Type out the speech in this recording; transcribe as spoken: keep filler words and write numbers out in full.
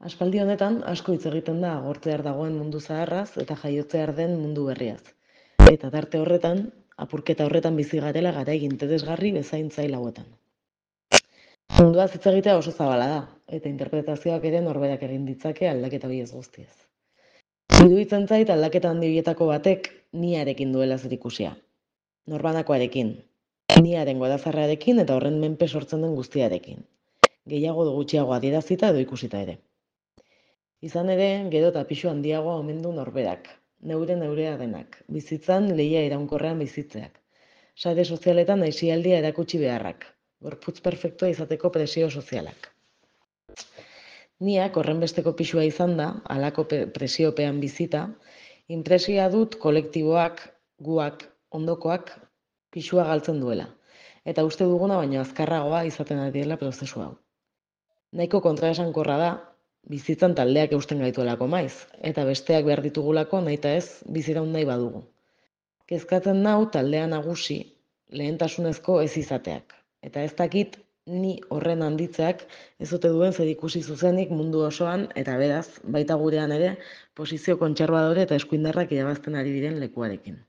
Aspaldi honetan asko hitz egiten da agortzear dagoen mundu zaharraz eta jaiotzear den mundu berriaz. Eta tarte horretan, apurketa horretan bizi garela garai interesgarri bezain zail hauetan. Munduaz hitz egitea oso zabala da, eta interpretazioak ere norberak egin ditzake aldaketa biez guztiez. Iruditzen zait aldaketa handi bietako batek niarekin duela zerikusia. Norbanakoarekin, niaren gorazarrarekin eta horren menpe sortzen den guztiarekin. Gehiago edo gutxiago adierazita edo ikusita ere. Izan ere, gero eta pisu handiagoa omen du norberak, neure neurea denak, bizitzan lehia iraunkorrean bizitzeak. Sare sozialetan aisialdia erakutsi beharrak, gorputz perfektua izateko presio sozialak. Niak horrenbesteko pisua izan da, halako presiopean bizita, inpresioa dut kolektiboak, guak, ondokoak, pisua galtzen duela, eta uste duguna baino azkarragoa izaten ari dela prozesu hau. Nahiko kontraesankorra da, bizitzan taldeak eusten gaituelako maiz, eta besteak behar ditugulako nahita ez biziraun nahi badugu. Kezkatzen nau taldea nagusi, lehentasunezko ez izateak, eta ez dakit ni horren handitzeak ez ote duen zerikusi zuzenik mundu osoan, eta beraz, baita gurean ere, posizio kontserbadore eta eskuindarrak irabazten ari diren lekuarekin.